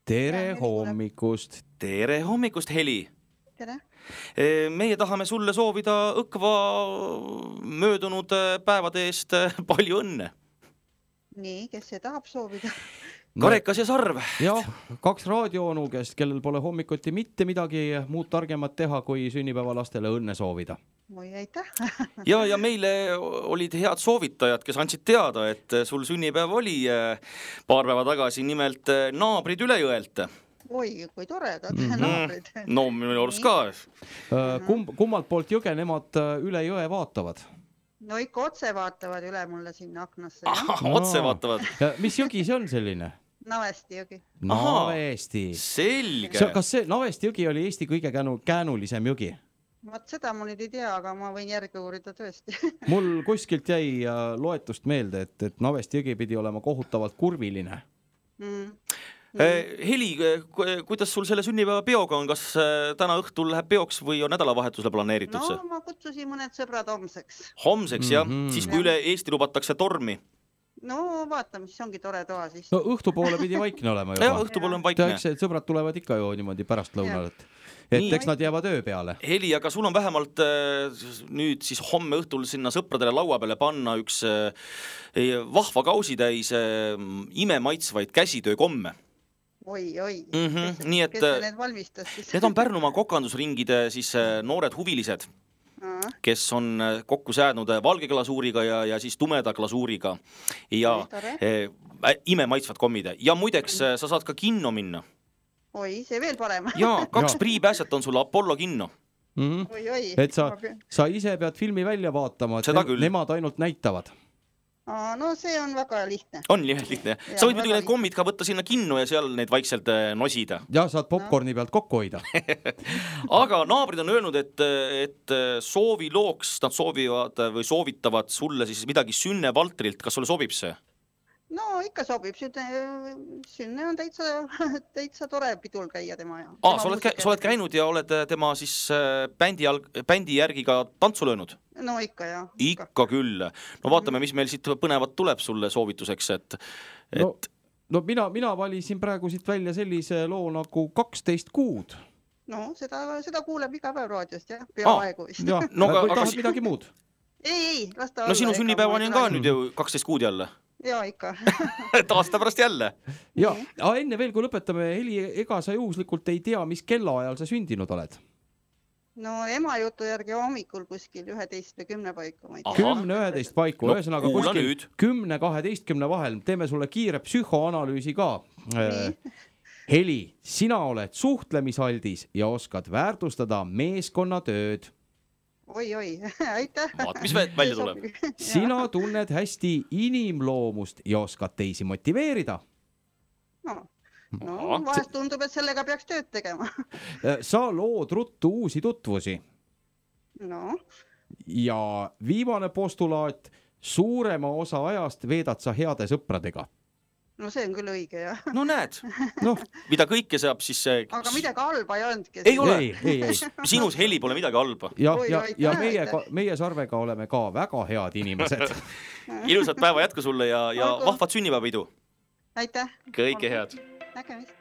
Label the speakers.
Speaker 1: Tere hommikust.
Speaker 2: Tere hommikust, Heli.
Speaker 3: Tere.
Speaker 2: Meie tahame sulle soovida õkva möödunud päevade eest palju õnne.
Speaker 3: Nii, kes see tahab soovida?
Speaker 2: Karekas ja Sarv.
Speaker 1: Jah, 2 raadioonukest, kellel pole hommikuti mitte midagi muud targemat teha, kui sünnipäevalastele õnne soovida.
Speaker 3: Oi, aitäh.
Speaker 2: Ja meile olid head soovitajad, kes andsid teada, et sul sünnipäev oli paar päeva tagasi, nimelt naabrid üle jõelt.
Speaker 3: Oi, kui toredad naabrid.
Speaker 2: No, minu arust ka.
Speaker 1: Kummalt poolt jõge nemad üle jõe vaatavad?
Speaker 3: No ikka otse vaatavad üle mulle sinna aknasse.
Speaker 2: Otse vaatavad.
Speaker 1: Mis jõgi see on selline?
Speaker 3: Navesti jõgi.
Speaker 1: Navesti.
Speaker 2: Selge.
Speaker 1: Kas see Navesti jõgi oli Eesti kõige käänulisem jõgi?
Speaker 3: Vaat seda ma nüüd ei tea, aga ma võin järgi uurida tõesti.
Speaker 1: Mul kuskilt jäi loetust meelde, et Navesti jõgi pidi olema kohutavalt kurviline.
Speaker 2: Heli, kuidas sul selle sünnipäeva peoga on? Kas täna õhtul läheb peoks või on nädalavahetusele planeeritud see?
Speaker 3: No ma kutsusin mõned sõbrad homseks.
Speaker 2: Homseks, jah? Siis kui üle Eesti lubatakse tormi?
Speaker 3: No vaatame, siis ongi tore toa siis.
Speaker 1: No õhtupoole pidi vaikne olema juba.
Speaker 2: Ja, õhtupoole on vaikne.
Speaker 1: Eks sõbrad tulevad ikka ju niimoodi pärast lõunal, et eks nad jäävad öö peale.
Speaker 2: Heli, aga sul on vähemalt nüüd siis homme õhtul sinna sõpradele laua peale panna üks vahva kausitäis imemaitsvaid käsitöökomme.
Speaker 3: Oi.
Speaker 2: Nii et
Speaker 3: kes need valmistas siis?
Speaker 2: Need on Pärnumaa kokandusringide siis noored huvilised, kes on kokku säädnud valge glasuuriga ja siis tumeda glasuuriga ja imemaitsvad kommid. Ja muideks sa saad ka kinno minna.
Speaker 3: Oi, see veel parem.
Speaker 2: Ja 2 priipääset on sulle Apollo kinno.
Speaker 3: Oi.
Speaker 1: Et sa ise pead filmi välja vaatama, et nemad ainult näitavad.
Speaker 3: No see on väga lihtne.
Speaker 2: On lihtne. Sa võid muidugi need kommid ka võtta sinna kinno ja seal neid vaikselt nosida.
Speaker 1: Ja saad popcorni pealt kokku hoida.
Speaker 2: Aga naabrid on öelnud, et soovilooks nad soovivad või soovitavad sulle siis midagi Sünne Valtrilt. Kas sulle sobib see?
Speaker 3: No ikka sobib. Sünne on täitsa tore pidul käia tema.
Speaker 2: Sa oled käinud ja oled tema siis bändi järgi ka tantsu löönud?
Speaker 3: No ikka, jah.
Speaker 2: Ikka küll. No vaatame, mis meil siit põnevat tuleb sulle soovituseks,
Speaker 1: No mina valisin praegu siit välja sellise loo nagu 12 kuud.
Speaker 3: No seda kuuleb iga päev raadiost, jah. Peaaegu vist.
Speaker 1: Tahad midagi muud?
Speaker 3: Ei, lasta olla.
Speaker 2: No sinu sünnipäevani on ka nüüd ju 12 kuud jälle.
Speaker 3: Ja ikka.
Speaker 2: Aasta pärast jälle.
Speaker 1: Ja enne veel, kui lõpetame, Heli, ega sa juhuslikult ei tea, mis kellaajal sa sündinud oled?
Speaker 3: No ema jutu järgi hommikul kuskil 11 või 10 paiku.
Speaker 1: 10-11 paiku, ühesõnaga kuskil 10-12 vahel. Teeme sulle kiire psühhoanalüüsi ka. Heli, sina oled suhtlemisaldis ja oskad väärtustada meeskonnatööd.
Speaker 3: Oi, aitäh.
Speaker 2: Vaat, mis välja tuleb.
Speaker 1: Sina tunned hästi inimloomust ja oskad teisi motiveerida.
Speaker 3: No, vahest tundub, et sellega peaks tööd tegema.
Speaker 1: Sa lood ruttu uusi tutvusi.
Speaker 3: No.
Speaker 1: Ja viimane postulaat, suurema osa ajast veedad sa heade sõpradega.
Speaker 3: No see on küll õige, jah.
Speaker 2: No näed, mida kõike saab siis...
Speaker 3: Aga midagi halba ei olnud.
Speaker 2: Ei ole. Sinus, Heli, pole midagi halba.
Speaker 1: Ja meie Sarvega oleme ka väga head inimesed.
Speaker 2: Ilusat päeva jätku sulle ja vahvat sünnipäevapidu.
Speaker 3: Aitäh.
Speaker 2: Kõike head.
Speaker 3: Nägemist.